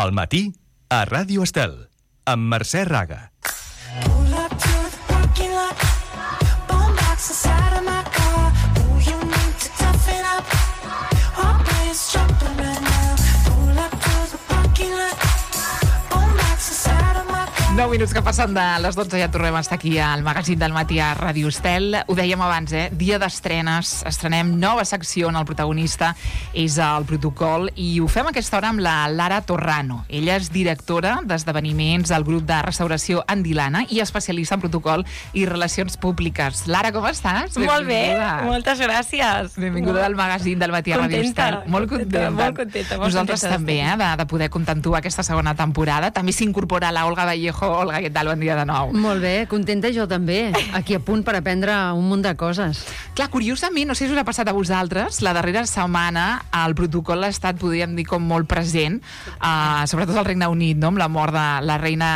Al matí, a Ràdio Estel, amb Mercè Raga. Nou minuts que passen de les 12, ja tornem a estar aquí al magazín del matí a Ràdio Estel. Ho dèiem abans, dia d'estrenes, estrenem nova secció on el protagonista és el protocol i ho fem a aquesta hora amb la Lara Torrano. Ella és directora d'esdeveniments del grup de restauració Andilana i especialista en protocol i relacions públiques. Lara, com estàs? Molt bé, moltes gràcies. Benvinguda al magazín del matí a Ràdio Estel. Molt contenta. Molt contenta. Nosaltres també, de poder comptar amb tu aquesta segona temporada. També s'incorpora la Olga Vallejo. Olga, què tal? Bon dia de nou. Molt bé, contenta jo també, aquí a punt per aprendre un munt de coses. Clar, curiosament, no sé si us ha passat a vosaltres, la darrera setmana el protocol ha estat, podríem dir, com molt present, sobretot al Regne Unit, no? Amb la mort de la reina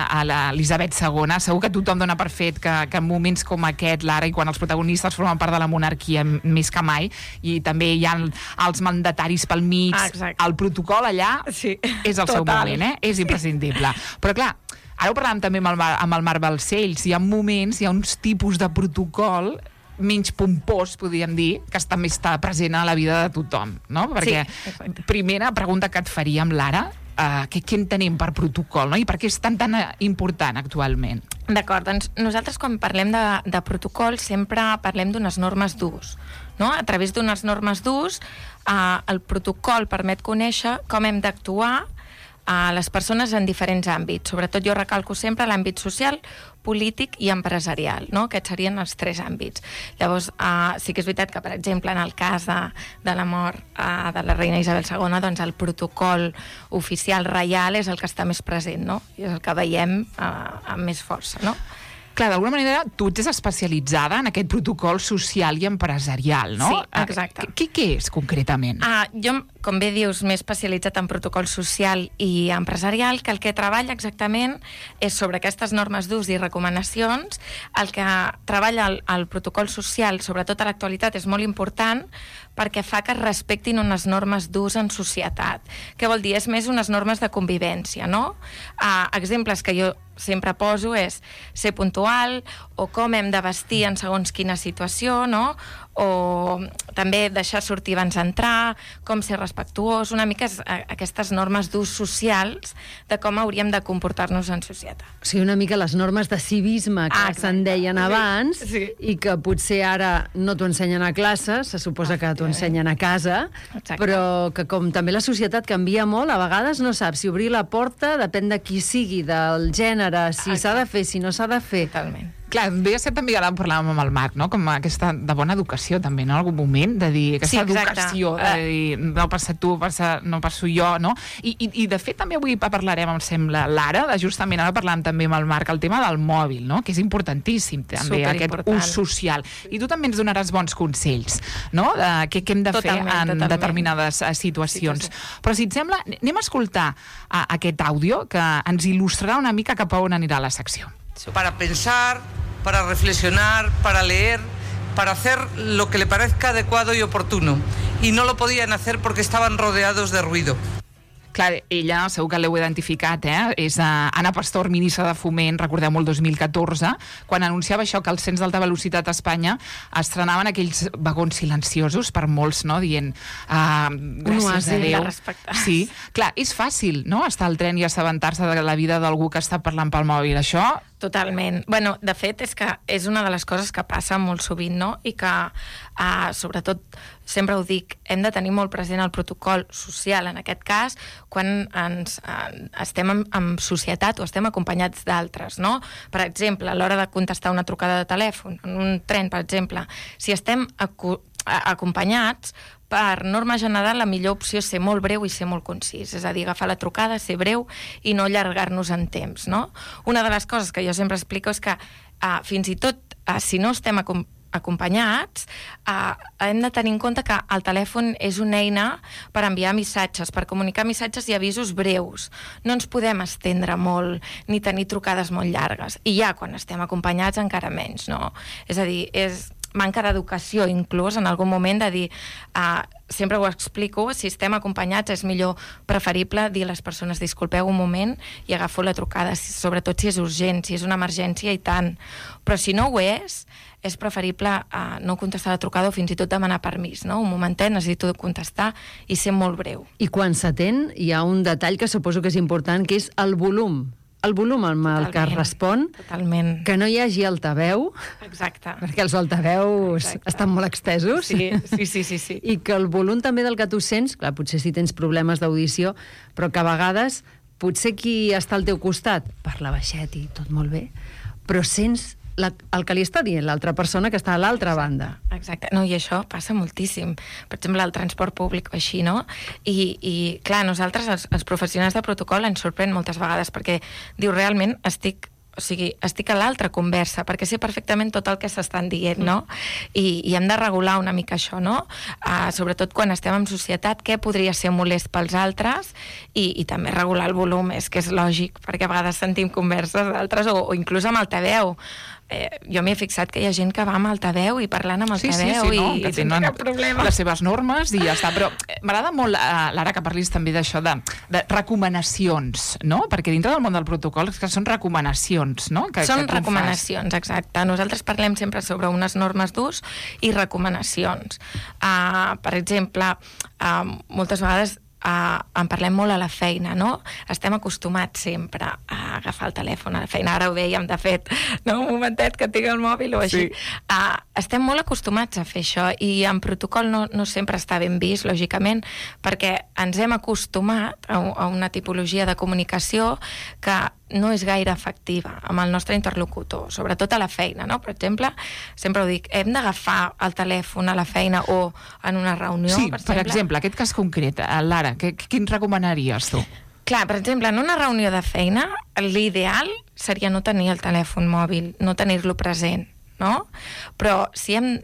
Elisabet II. Segur que tothom dona per fet que en moments com aquest, l'ara, i quan els protagonistes formen part de la monarquia més que mai, i també hi ha els mandataris pel mig, el protocol allà és el seu moment, és imprescindible. Però clar, ara ho parlàvem també amb el Marc Balcells, hi ha moments, hi ha uns tipus de protocol menys pompós, podríem dir, que també està present a la vida de tothom, no? Perquè primera pregunta que et faríem, Lara, què entenem per protocol, no? I per què és tan important actualment? D'acord, doncs nosaltres quan parlem de protocol sempre parlem d'unes normes d'ús, no? A través d'unes normes d'ús el protocol permet conèixer com hem d'actuar a les persones en diferents àmbits. Sobretot jo recalco sempre l'àmbit social, polític i empresarial, no? Aquests serien els tres àmbits. Llavors, sí que és veritat que, per exemple, en el cas de la mort de la reina Isabel II, doncs el protocol oficial reial és el que està més present, no? I és el que veiem amb més força, no? Clar, d'alguna manera, tu ets especialitzada en aquest protocol social i empresarial, no? Sí, exacte. Què és, concretament? Jo, com bé dius, m'he especialitzat en protocol social i empresarial, que el que treballa exactament és sobre aquestes normes d'ús i recomanacions. El que treballa el protocol social, sobretot a l'actualitat, és molt important perquè fa que es respectin unes normes d'ús en societat. Què vol dir? És més unes normes de convivència, no? Exemples que jo sempre poso és ser puntual o com hem de vestir en segons quina situació, no? O també deixar sortir abans d'entrar, com ser respectuós, una mica aquestes normes d'ús socials de com hauríem de comportar-nos en societat. O sigui, una mica les normes de civisme que se'n deien abans i que potser ara no t'ho ensenyen a classe, se suposa que t'ho ensenyen a casa, però que com també la societat canvia molt, a vegades no saps si obrir la porta, depèn de qui sigui, del gènere, si s'ha de fer, si no s'ha de fer. Totalment. Clar, ve a ser també, ara en parlàvem amb el Marc, no? Com aquesta de bona educació també, no? En algun moment, de dir, aquesta educació, de dir, no passa tu, no passo jo, no? I de fet també avui parlarem, em sembla, Lara, justament ara parlàvem també amb el Marc, el tema del mòbil, no? Que és importantíssim també, aquest ús social. I tu també ens donaràs bons consells, no? De què hem de fer en determinades situacions. Però si et sembla, anem a escoltar aquest àudio que ens il·lustrarà una mica cap a on anirà la secció. Para pensar, para reflexionar, para leer, para hacer lo que le parezca adecuado y oportuno. Y no lo podían hacer porque estaban rodeados de ruido. Clar, ella, segur que l'heu identificat, és Ana Pastor, ministra de Foment, recordeu-ho, el 2014, quan anunciava això, que els trens d'alta velocitat a Espanya estrenaven aquells vagons silenciosos per molts, no?, dient gràcies a Déu. Sí, clar, és fàcil, no?, estar al tren i assabentar-se de la vida d'algú que està parlant pel mòbil, això... Totalment. Bueno, de fet, és que és una de les coses que passa molt sovint, no?, i que, sobretot, sempre ho dic, hem de tenir molt present el protocol social, en aquest cas, quan estem en societat o estem acompanyats d'altres, no? Per exemple, a l'hora de contestar una trucada de telèfon, en un tren, per exemple, si estem acompanyats, per norma general, la millor opció és ser molt breu i ser molt concís. És a dir, agafar la trucada, ser breu i no allargar-nos en temps, no? Una de les coses que jo sempre explico és que fins i tot si no estem acompanyats, hem de tenir en compte que el telèfon és una eina per enviar missatges, per comunicar missatges i avisos breus. No ens podem estendre molt ni tenir trucades molt llargues. I ja quan estem acompanyats encara menys, no? És a dir, manca d'educació, inclús en algun moment de dir, sempre ho explico, si estem acompanyats és millor, preferible dir a les persones disculpeu un moment i agafo la trucada, sobretot si és urgent, si és una emergència i tant. Però si no ho és preferible no contestar la trucada o fins i tot demanar permís, no? Un momentet, necessito contestar i ser molt breu. I quan s'atén hi ha un detall que suposo que és important, que és el volum. El volum amb el que es respon, que no hi hagi altaveu, perquè els altaveus estan molt estesos, sí. I que el volum també del que tu sents, clar, potser si tens problemes d'audició, però que a vegades potser qui està al teu costat parla baixet i tot molt bé, però sents el que li està dient l'altra persona que està a l'altra banda. Exacte. No, i això passa moltíssim. Per exemple, al transport públic o així, no? I clar, nosaltres, els professionals de protocol, ens sorprèn moltes vegades perquè diu, realment estic a l'altra conversa, perquè sé perfectament tot el que s'estan dient, no? I hem de regular una mica això, no? Sobretot quan estem en societat, què podria ser molest pels altres i també regular el volum, és que és lògic, perquè a vegades sentim converses d'altres o inclús amb altaveu. Jo m'he fixat que hi ha gent que va amb altaveu i parlant amb altaveu i tenen cap problema. Les seves normes i ja està. Però m'agrada molt, Lara, que parlis també d'això de recomanacions, no? Perquè dintre del món del protocol és que són recomanacions, no? Són recomanacions, exacte. Nosaltres parlem sempre sobre unes normes d'ús i recomanacions. Per exemple, moltes vegades en parlem molt a la feina, no? Estem acostumats sempre a agafar el telèfon a la feina. Ara ho dèiem, de fet, no? Un momentet que tinc el mòbil o així. Estem molt acostumats a fer això i en protocol no sempre està ben vist, lògicament, perquè ens hem acostumat a una tipologia de comunicació que no és gaire efectiva amb el nostre interlocutor, sobretot a la feina, no? Per exemple, sempre ho dic, hem d'agafar el telèfon a la feina o en una reunió, sí, per exemple, aquest cas concret, Lara, quin recomanaries tu? Clar, per exemple, en una reunió de feina, l'ideal seria no tenir el telèfon mòbil, no tenir-lo present, no? Però si hem...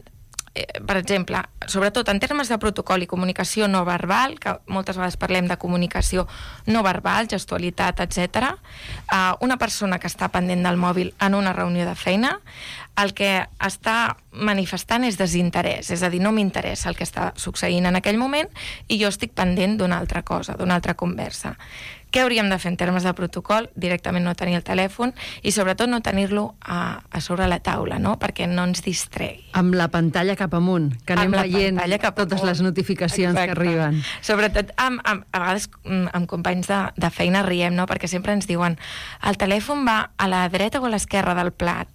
per exemple, sobretot en termes de protocol i comunicació no verbal, que moltes vegades parlem de comunicació no verbal, gestualitat, etc. Una persona que està pendent del mòbil en una reunió de feina, el que està manifestant és desinterès, és a dir, no m'interessa el que està succeint en aquell moment i jo estic pendent d'una altra cosa, d'una altra conversa. Què hauríem de fer en termes de protocol? Directament no tenir el telèfon i sobretot no tenir-lo a sobre la taula, no? Perquè no ens distregui. Amb la pantalla cap amunt, que anem veient totes les notificacions que arriben. Sobretot, a vegades amb companys de feina riem, no? Perquè sempre ens diuen el telèfon va a la dreta o a l'esquerra del plat.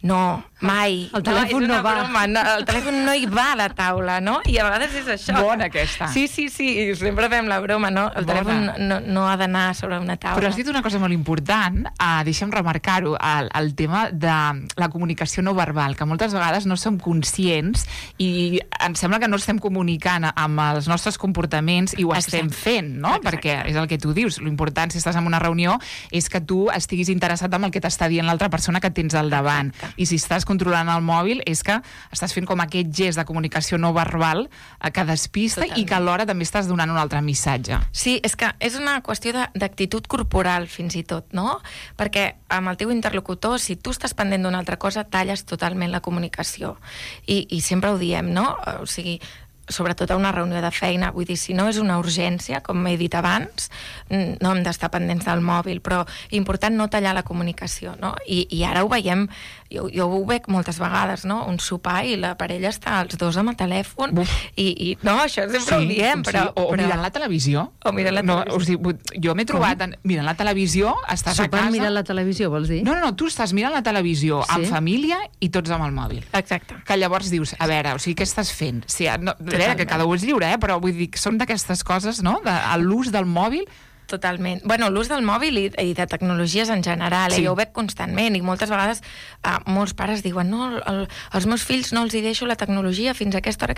No, mai. El telèfon no va. Broma. No, el telèfon no hi va a la taula, no? I a vegades és això. Bona aquesta. Sí, sempre fem la broma, no? El telèfon no ha d'anar sobre una taula. Però has dit una cosa molt important, deixa'm remarcar-ho, el tema de la comunicació no verbal, que moltes vegades no som conscients i ens sembla que no estem comunicant amb els nostres comportaments i ho estem fent, no? Perquè és el que tu dius, l'important si estàs en una reunió és que tu estiguis interessat en el que t'està dient l'altra persona que tens al davant. I si estàs controlant el mòbil és que estàs fent com aquest gest de comunicació no verbal que despista i que alhora també estàs donant un altre missatge. Sí, és que és una qüestió d'actitud corporal fins i tot, no? Perquè amb el teu interlocutor, si tu estàs pendent d'una altra cosa, talles totalment la comunicació. I sempre ho diem, no? O sigui, sobretot a una reunió de feina, vull dir, si no és una urgència, com he dit abans, no hem d'estar pendents del mòbil, però important no tallar la comunicació, no? I ara ho veiem, jo ho veig moltes vegades, no? Un sopar i la parella està els dos amb el telèfon i no, això sempre ho diem, però... O mirant la televisió. O mirant la televisió. O sigui, jo m'he trobat mirant la televisió, estàs a casa... mirant la televisió, vols dir? No, tu estàs mirant la televisió amb família i tots amb el mòbil. Exacte. Que llavors dius, a veure, o sigui, què estàs fent? Que cada un és lliure, però vull dir que són d'aquestes coses, no? L'ús del mòbil... Totalment. Bueno, l'ús del mòbil i de tecnologies en general, jo ho veig constantment i moltes vegades molts pares diuen no, als meus fills no els hi deixo la tecnologia fins a aquesta hora,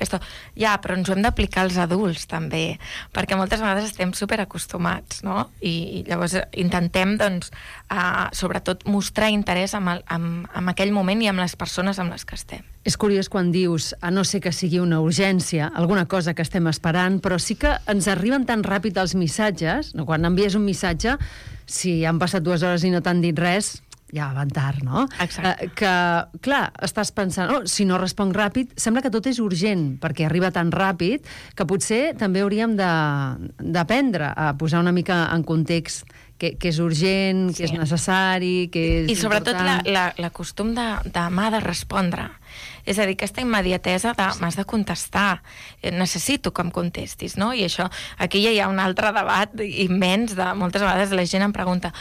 Ja, però ens ho hem d'aplicar als adults també, perquè moltes vegades estem superacostumats, no? I llavors intentem, doncs, sobretot mostrar interès en aquell moment i amb les persones amb les que estem. És curiós quan dius, a no ser que sigui una urgència, alguna cosa que estem esperant, però sí que ens arriben tan ràpid els missatges, no? Quan envies un missatge, si han passat 2 hores i no t'han dit res, ja van tard, no? Exacte. Que, clar, estàs pensant, si no responc ràpid, sembla que tot és urgent, perquè arriba tan ràpid que potser també hauríem d'aprendre a posar una mica en context que és urgent, que és necessari, que és I sobretot important. la costum de m'ha de respondre. És a dir, aquesta immediatesa de m'has de contestar, necessito que em contestis, no? I això, aquí ja hi ha un altre debat immens de moltes vegades la gent em pregunta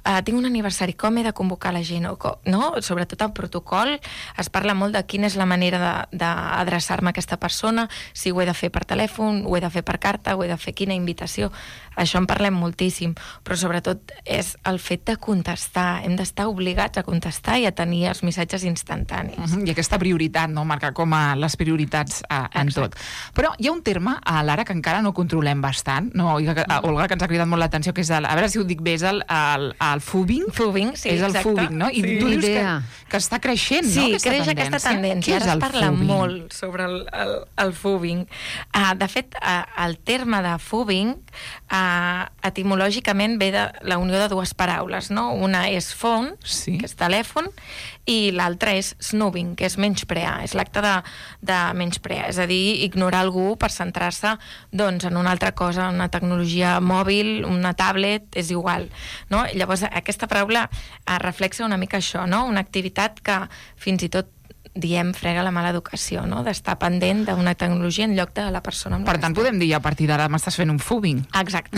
tinc un aniversari, com he de convocar la gent? No? Sobretot el protocol es parla molt de quina és la manera d'adreçar-me a aquesta persona, si ho he de fer per telèfon, ho he de fer per carta, ho he de fer quina invitació. Això en parlem moltíssim, però sobretot és el fet de contestar. Hem d'estar obligats a contestar i a tenir els missatges instantanis. I aquesta prioritat, no? Marcar com a les prioritats en tot. Però hi ha un terme, a l'ara, que encara no controlem bastant, no? Olga, que ens ha cridat molt l'atenció, que és a veure si ho dic bé, és el fubing. Fubing, sí, és el exacte. fubing, no? I tu dius que està creixent, no? Sí, creix aquesta tendència. Ara es parla molt sobre el fubing. De fet, el terme de fubing etimològicament ve de la unió de dues paraules, no? Una és phone, que és telèfon, i l'altra és snoobing, que és menysprear, és l'acte de menysprear, és a dir, ignorar algú per centrar-se doncs, en una altra cosa, una tecnologia mòbil, una tablet, és igual, no? Llavors, aquesta paraula reflexa una mica això, no? Una activitat que fins i tot diem frega la mala educació, no? D'estar pendent d'una tecnologia en lloc de la persona amb la Per tant, podem dir a partir d'ara m'estàs fent un fubing. Exacte.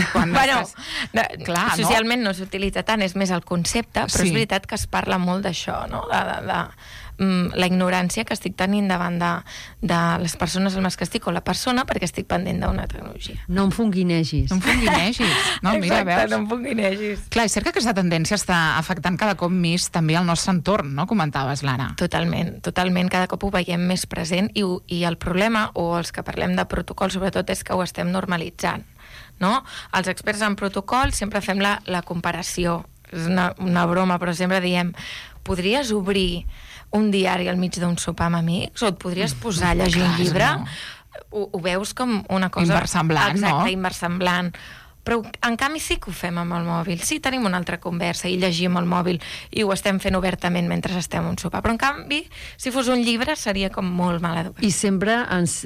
Clar, socialment no s'utilitza tant, és més el concepte, però és veritat que es parla molt d'això, no? La ignorància que estic tenint davant de les persones amb les que estic o la persona perquè estic pendent d'una tecnologia. No em funguinegis. No em funguinegis. No, mira, exacte, no em funguinegis. Clar, és cert que aquesta tendència està afectant cada cop més també el nostre entorn, no? Comentaves, Lara. Totalment. Cada cop ho veiem més present i el problema, o els que parlem de protocol sobretot, és que ho estem normalitzant, no? Els experts en protocol sempre fem la comparació. És una broma, però sempre diem podries obrir un diari al mig d'un sopar amb amics o et podries posar a llegir un llibre? Ho veus com una cosa... Inversemblant, no? Exacte, inversemblant. Però en canvi sí que ho fem amb el mòbil. Sí, tenim una altra conversa i llegim el mòbil i ho estem fent obertament mentre estem a un sopar. Però en canvi, si fos un llibre, seria com molt mal educat. I sempre ens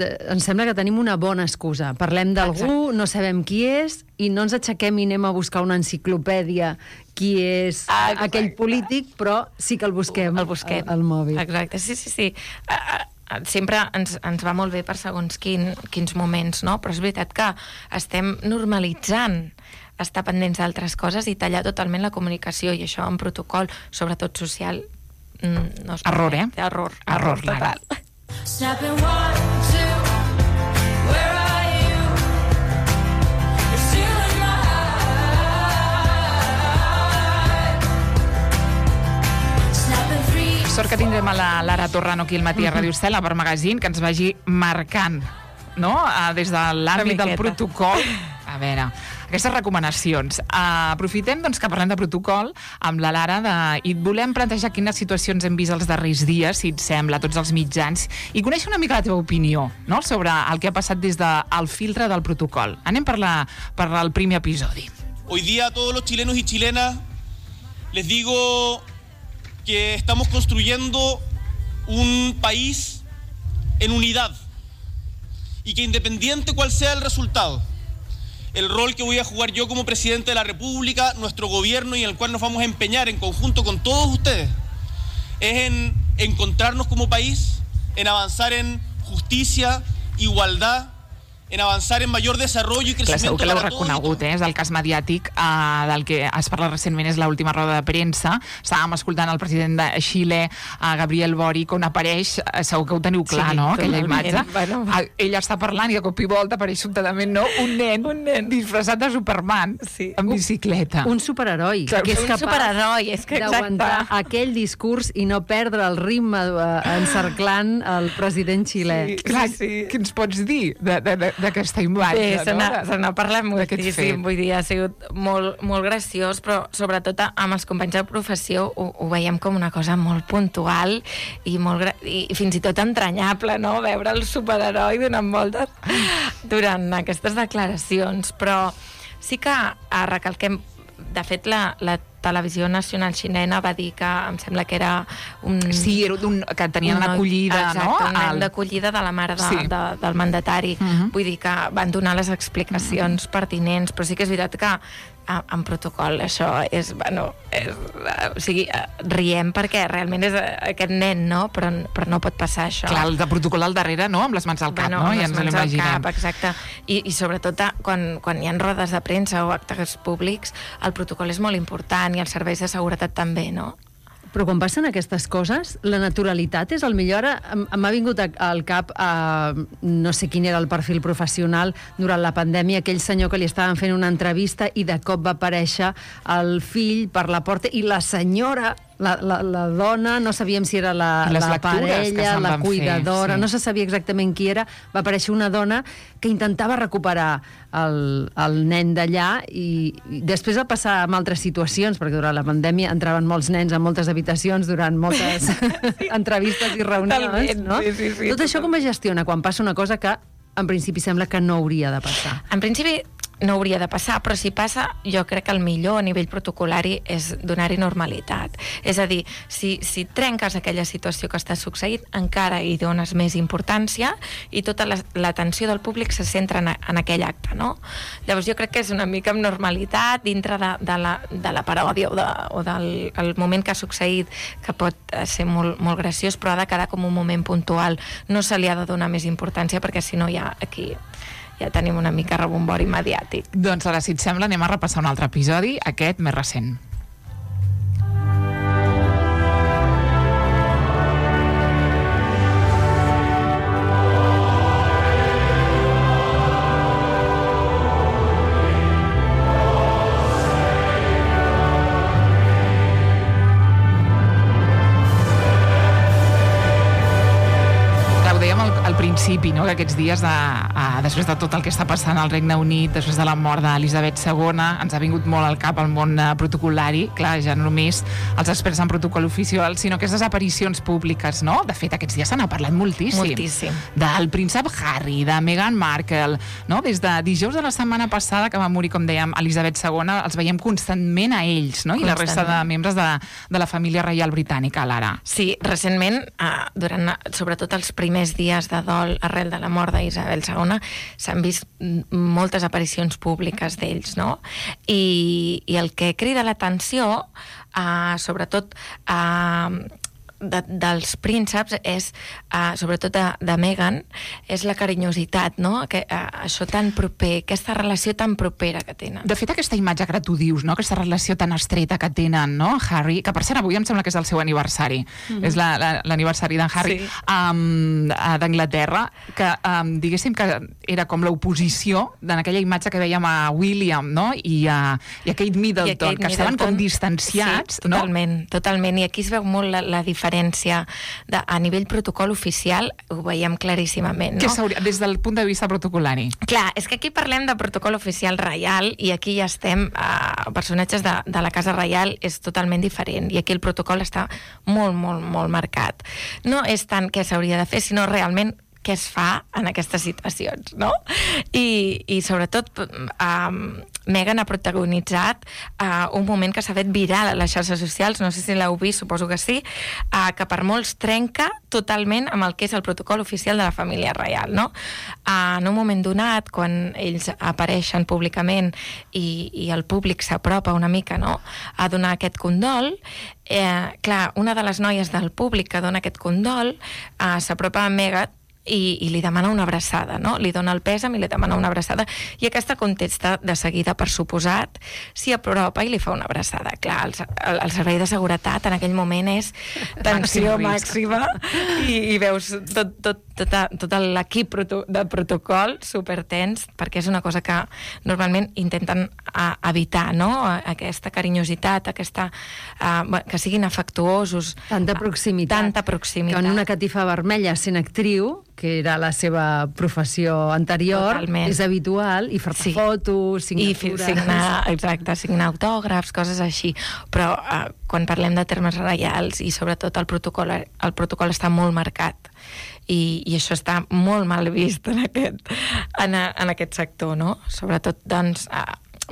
sembla que tenim una bona excusa. Parlem d'algú, no sabem qui és, i no ens aixequem i anem a buscar una enciclopèdia qui és aquell polític, però sí que el busquem al mòbil. Exacte, sí. Sempre ens va molt bé per segons quins moments, no? Però és veritat que estem normalitzant estar pendents d'altres coses i tallar totalment la comunicació, i això en protocol, sobretot social, no es pot. Error, Error total. Sort que tindrem a la Lara Torrano aquí al matí a Ràdio Estel, a Per Magazine, que ens vagi marcant, no? Des de l'àmbit del protocol. A veure, aquestes recomanacions. Aprofitem doncs, que parlem de protocol amb la Lara i et volem plantejar quines situacions hem vist els darrers dies, si et sembla, tots els mitjans, i conèixer una mica la teva opinió, no? Sobre el que ha passat des del filtre del protocol. Anem per el primer episodi. Hoy día a todos los chilenos y chilenas les digo que estamos construyendo un país en unidad y que independiente cuál sea el resultado, el rol que voy a jugar yo como presidente de la República, nuestro gobierno, y en el cual nos vamos a empeñar en conjunto con todos ustedes, es en encontrarnos como país, en avanzar en justicia, igualdad, en avançar en major desenvolupament i creixement. Segur que l'heu reconegut, és el cas mediàtic del que es parla recentment, és l'última roda de premsa. Estàvem escoltant el president de Xile, Gabriel Boric, on apareix, segur que ho teniu clar, no?, aquella imatge. Ella està parlant i de cop i volta apareix sobtadament, no?, un nen disfressat de Superman, amb bicicleta. Un superheroi, que és capaç d'aguantar aquell discurs i no perdre el ritme encerclant el president xilè. Què ens pots dir d'aquesta imatge? Bé, se n'ha parlat moltíssim, vull dir, ha sigut molt graciós, però sobretot amb els companys de professió ho veiem com una cosa molt puntual i fins i tot entranyable, no?, veure el superheroi donant voltes durant aquestes declaracions, però sí que recalquem, de fet, la Televisió Nacional xilena va dir que em sembla que era un... Sí, era que tenien l'acollida, no? Exacte, un nen d'acollida de la mare del mandatari. Vull dir que van donar les explicacions pertinents, però sí que és veritat que en protocol això és, bueno, o sigui, riem perquè realment és aquest nen, no? Però no pot passar això. Clar, el de protocol al darrere, no? Amb les mans al cap, no? Ja ens l'imaginem. Cap, exacte. I sobretot quan hi ha rodes de premsa o actes públics, el protocol és molt important i els serveis de seguretat també, no? Però quan passen aquestes coses, la naturalitat és el millor. M'ha vingut al cap, no sé quin era el perfil professional durant la pandèmia, aquell senyor que li estaven fent una entrevista i de cop va aparèixer el fill per la porta i la senyora, la dona, no sabíem si era la parella, la cuidadora, no se sabia exactament qui era, va aparèixer una dona que intentava recuperar el nen d'allà i després va passar amb altres situacions, perquè durant la pandèmia entraven molts nens a moltes habitacions durant moltes entrevistes i reunions, no? Sí, tot això com es gestiona quan passa una cosa que en principi sembla que no hauria de passar? En principi no hauria de passar, però si passa, jo crec que el millor a nivell protocolari és donar-hi normalitat. És a dir, si trenques aquella situació que està succeint, encara hi dones més importància i tota l'atenció del públic se centra en aquell acte, no? Llavors jo crec que és una mica amb normalitat dintre de la paròdia o del moment que ha succeït, que pot ser molt, molt graciós, però ha de quedar com un moment puntual. No se li ha de donar més importància perquè si no ja aquí ja tenim una mica rebombori mediàtic. Doncs ara, si et sembla, anem a repassar un altre episodi, aquest més recent. Al principi, no? Que aquests dies, després de tot el que està passant al Regne Unit, després de la mort d'Elisabet II, ens ha vingut molt al cap el món protocolari, clar, ja no només els experts en protocol oficial, sinó aquestes aparicions públiques, no? De fet, aquests dies se n'ha parlat moltíssim. Moltíssim. Del príncep Harry, de Meghan Markle, no? Des de dijous de la setmana passada, que va morir, com dèiem, Elisabet II, els veiem constantment a ells, no? I la resta de membres de la família reial britànica, Lara. Sí, recentment, durant sobretot els primers dies de dol arrel de la mort d'Isabel II, s'han vist moltes aparicions públiques d'ells, no? I el que crida l'atenció, sobretot dels prínceps, és, sobretot de Meghan, és la carinyositat, no? Això tan proper, aquesta relació tan propera que tenen. De fet, aquesta imatge que tu dius, no? Aquesta relació tan estreta que tenen, no? Harry, que per cert avui em sembla que és el seu aniversari, és l'aniversari d'en Harry, d'Anglaterra, que diguéssim que era com l'oposició d'aquella imatge que veiem a William, no? I a Kate Middleton, que estaven com distanciats, no? Totalment, i aquí es veu molt la diferència a nivell protocol oficial, ho veiem claríssimament, no? Des del punt de vista protocolari. Clar, és que aquí parlem de protocol oficial reial i aquí ja estem, personatges de la Casa Reial és totalment diferent i aquí el protocol està molt, molt, molt marcat. No és tant què s'hauria de fer, sinó realment què es fa en aquestes situacions, no? I sobretot Meghan ha protagonitzat un moment que s'ha fet viral a les xarxes socials, no sé si l'heu vist, suposo que sí, que per molts trenca totalment amb el que és el protocol oficial de la família reial, no? En un moment donat, quan ells apareixen públicament i el públic s'apropa una mica, no?, a donar aquest condol, clar, una de les noies del públic que dona aquest condol s'apropa a Meghan i li demana una abraçada, no? Li dona el pèsam i li demana una abraçada i aquesta contesta de seguida, per suposat, s'hi apropa i li fa una abraçada. Clar, el servei de seguretat en aquell moment és tensió màxima i veus tot l'equip de protocol supertens, perquè és una cosa que normalment intenten evitar, no? Aquesta carinyositat, que siguin afectuosos. Tanta proximitat. Que en una catifa vermella sent actriu, que era la seva professió anterior, totalment, és habitual, i fer fotos, signatures... signar autògrafs, coses així. Però quan parlem de termes reials i sobretot el protocol està molt marcat. I això està molt mal vist en aquest sector, no? Sobretot, doncs,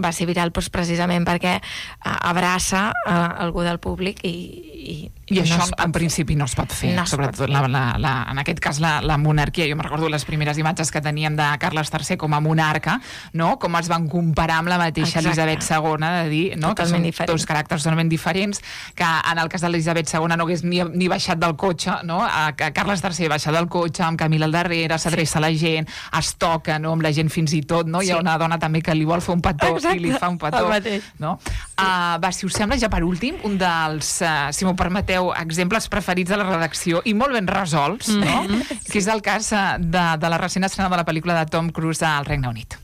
va ser viral precisament perquè abraça algú del públic i això en principi no es pot fer, sobretot en aquest cas la monarquia. Jo me recordo les primeres imatges que teníem de Carles III com a monarca, no? Com es van comparar amb la mateixa Elisabet II, de dir, no? Que són dos caràcters totalment diferents, que en el cas de l'Elisabet II no hagués ni baixat del cotxe, no? Carles III baixa del cotxe, amb Camila al darrere, s'adreça a la gent, es toca, no? Amb la gent fins i tot, no? Hi ha una dona també que li vol fer un petó i li fa un petó, no? Va, si us sembla, ja per últim, un dels, si m'ho permeteu, exemples preferits de la redacció i molt ben resolts, no? Que és el cas de la recent estrena de la pel·lícula de Tom Cruise al Regne Unit.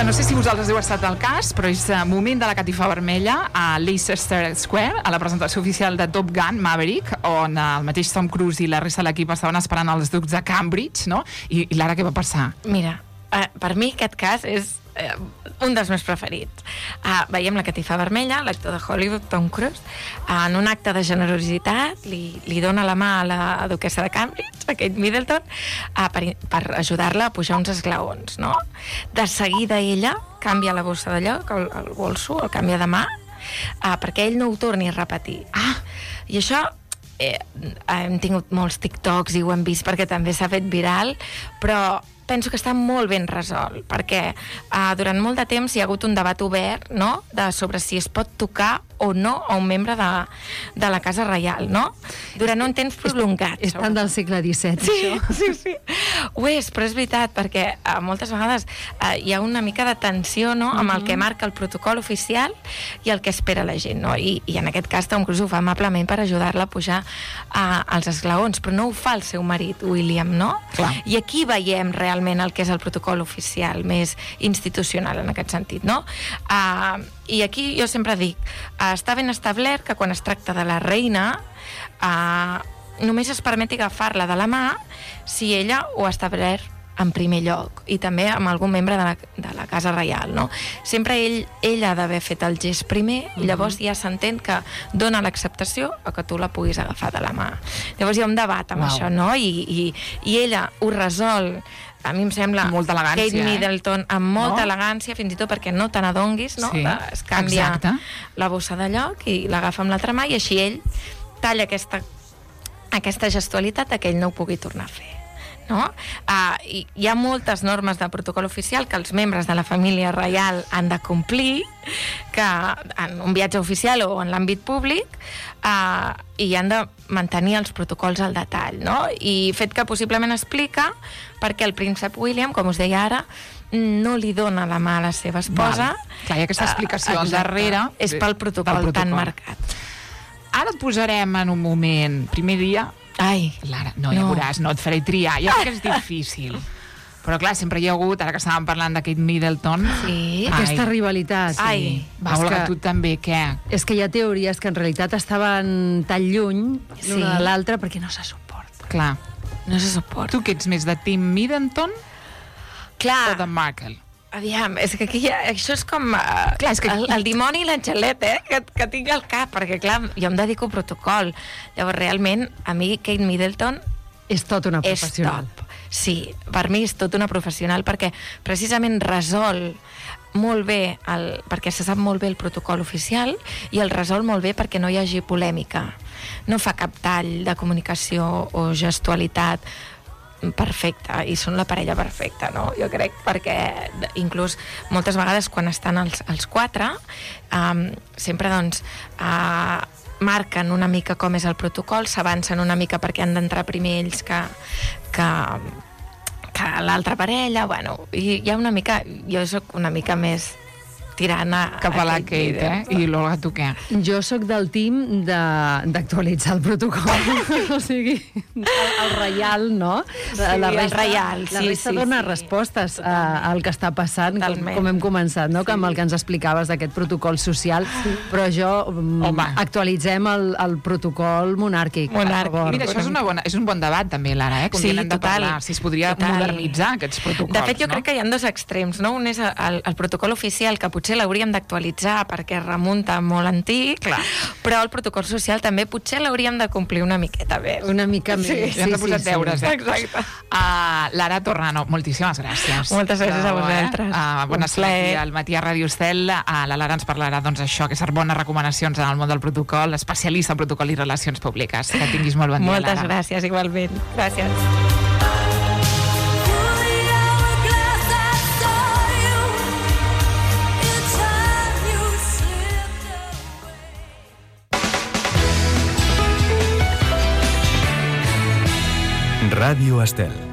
No sé si vosaltres heu estat al cas, però és moment de la catifa vermella a Leicester Square, a la presentació oficial de Top Gun Maverick, on el mateix Tom Cruise i la resta de l'equip estaven esperant els ducs de Cambridge, no? I Lara, què va passar? Mira, per mi aquest cas és un dels meus preferits. Veiem la catifa vermella, l'actor de Hollywood, Tom Cruise, en un acte de generositat li dona la mà a la duquessa de Cambridge, a Kate Middleton, per ajudar-la a pujar uns esglaons, no? De seguida ella canvia la bossa de lloc, el bolso, el canvia de mà, perquè ell no ho torni a repetir. I això hem tingut molts TikToks i ho hem vist perquè també s'ha fet viral, però penso que està molt ben resolt, perquè durant molt de temps hi ha hagut un debat obert, no?, sobre si es pot tocar o no a un membre de la Casa Reial, no? Durant un temps prolongat. És tant del segle XVII, això. Sí. Ho és, però és veritat, perquè moltes vegades hi ha una mica de tensió, no?, amb el que marca el protocol oficial i el que espera la gent, no? I en aquest cas Tom Cruise ho fa amablement per ajudar-la a pujar als esglaons, però no ho fa el seu marit, William, no? Clar. I aquí veiem realment el que és el protocol oficial, més institucional en aquest sentit, no? I aquí jo sempre dic, està ben establert que quan es tracta de la reina només es permeti agafar-la de la mà si ella ho ha establert en primer lloc, i també amb algun membre de la Casa Reial, no? Sempre ell ha d'haver fet el gest primer i llavors ja s'entén que dona l'acceptació a que tu la puguis agafar de la mà. Llavors hi ha un debat amb això, no? I ella ho resol, a mi em sembla, molta elegància, Kate Middleton amb molta elegància, fins i tot perquè no te n'adonguis, no? Sí, Es canvia exacte. la bossa de lloc i l'agafa amb l'altra mà, i així ell talla aquesta gestualitat que ell no ho pugui tornar a fer, no? Hi ha moltes normes de protocol oficial que els membres de la família reial han de complir, que en un viatge oficial o en l'àmbit públic, i han de mantenir els protocols al detall, no? I fet que possiblement explica perquè el príncep William, com us deia ara, no li dona la mà a la seva esposa. Clar, hi ha aquesta explicació al darrere. És pel protocol tan marcat. Ara et posarem en un moment, primer dia. Ai, Lara, no, ja veuràs, no et faré triar. Ja sé que és difícil. Però clar, sempre hi ha hagut, ara que estàvem parlant de Kate Middleton... Sí. Aquesta rivalitat. Ai. Va, Olga, tu també, què? És que hi ha teories que en realitat estaven tan lluny l'una de l'altra perquè no se suporta. Clar. No se suporta. Tu que ets més de Team Middleton Clar. o de Markle? Aviam, és que aquí això és com Clar, és que el dimoni i l'angelet, que tinc al cap, perquè clar, jo em dedico a protocol. Llavors, realment, a mi Kate Middleton És tot una és professional. top. Sí, per mi és tot una professional, perquè precisament resol molt bé, perquè se sap molt bé el protocol oficial, i el resol molt bé perquè no hi hagi polèmica. No fa cap tall de comunicació o gestualitat perfecta, i són la parella perfecta, no? Jo crec, perquè inclús moltes vegades quan estan els quatre, sempre doncs marquen una mica com és el protocol, s'avancen una mica perquè han d'entrar primer ells que l'altra parella, bueno, i hi ha una mica, jo soc una mica més tirant cap a la Kate, I l'Olga, tu què? Jo sóc del team d'actualitzar el protocol. O sigui, el reial, no? El reial, la resta dona respostes al que està passant, com hem començat, no? Amb el que ens explicaves d'aquest protocol social, però jo actualitzem el protocol monàrquic. Mira, això és un bon debat també, Lara, com sí, hem de parlar, si es podria modernitzar aquests protocols. De fet, jo crec que hi ha dos extrems, no? Un és el protocol oficial, que potser l'hauríem d'actualitzar perquè remunta molt antic, però el protocol social també potser l'hauríem de complir una miqueta més. Una mica més. Sí, hem de posar deures. Exacte. Lara Torrano, moltíssimes gràcies. Moltes gràcies a vosaltres. Bona estar al matí a Ràdio Estel. La Lara ens parlarà això, que són bones recomanacions en el món del protocol, especialista en protocol i relacions públiques. Que tinguis molt bon dia, Lara. Moltes gràcies, igualment. Gràcies. Ràdio Estel.